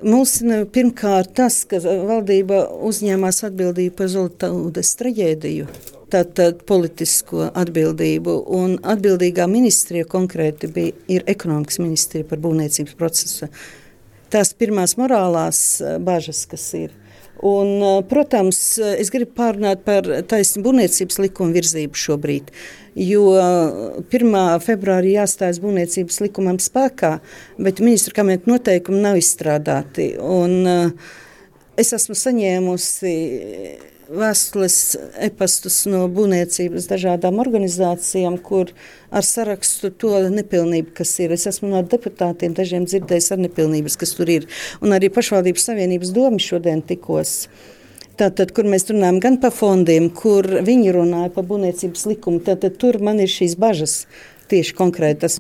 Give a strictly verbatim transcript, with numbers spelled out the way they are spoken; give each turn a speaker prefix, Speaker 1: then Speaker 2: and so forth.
Speaker 1: mulsina pirmkārt tas, ka valdība uzņēmās atbildību par Zoltaudes traģēdiju, tātad politisko atbildību, un atbildīgā ministrija konkrēti bija, ir ekonomikas ministrija par būvniecības procesu. Tās pirmās morālās bažas, kas ir. Un, protams, es gribu pārunāt par taisnu būvniecības likumu virzību šobrīd, jo pirmā februārī jāstājas būvniecības likumam spēkā, bet ministru kabineta noteikumi nav izstrādāti. Un es esmu saņēmusi vēstules, e-pastus no būvniecības dažādām organizācijām, kur ar sarakstu to nepilnību, kas ir. Es esmu no deputātiem dažiem dzirdējis ar nepilnības, kas tur ir. Un arī pašvaldības savienības domi šodien tikos. Tātad, kur mēs runājam gan par fondiem, kur viņi runāja par būvniecības likumu, tātad tur man ir šīs bažas tieši konkrētas.